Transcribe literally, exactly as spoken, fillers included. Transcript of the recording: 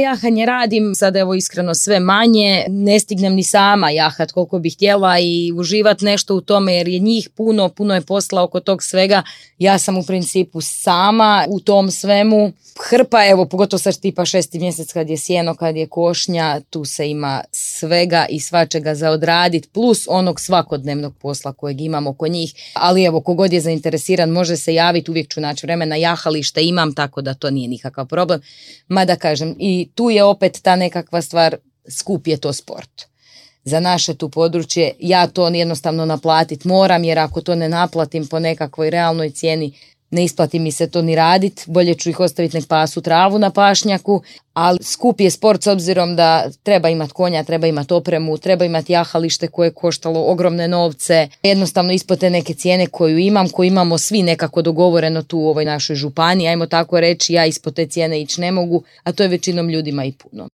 jahanje radim, sad evo iskreno sve manje, ne stignem ni sama jahat koliko bih htjela i uživat nešto u tome jer je njih puno, puno je posla oko tog svega. Ja sam u principu sama u tom svemu. Hrpa, evo pogotovo sad tipa šesti mjesec kad je sjeno, kad je košnja, tu se ima svega i svačega za odradit, plus onog svakodnevnog posla kojeg imamo kod njih. Ali evo, kogod je zainteresiran može se javiti, uvijek ću naći vremena, jahalište imam, tako da to nije nikakav problem. Mada kažem, i tu je opet ta nekakva stvar, skup je to sport. Za naše tu područje, ja to jednostavno naplatit moram, jer ako to ne naplatim po nekakvoj realnoj cijeni, ne isplati mi se to ni radit, bolje ću ih ostaviti nek pasu travu na pašnjaku, ali skup je sport s obzirom da treba imati konja, treba imati opremu, treba imati jahalište koje je koštalo ogromne novce, jednostavno ispod te neke cijene koju imam, koju imamo svi nekako dogovoreno tu u ovoj našoj županiji, ajmo tako reći, ja ispod te cijene ići ne mogu, a to je većinom ljudima i puno.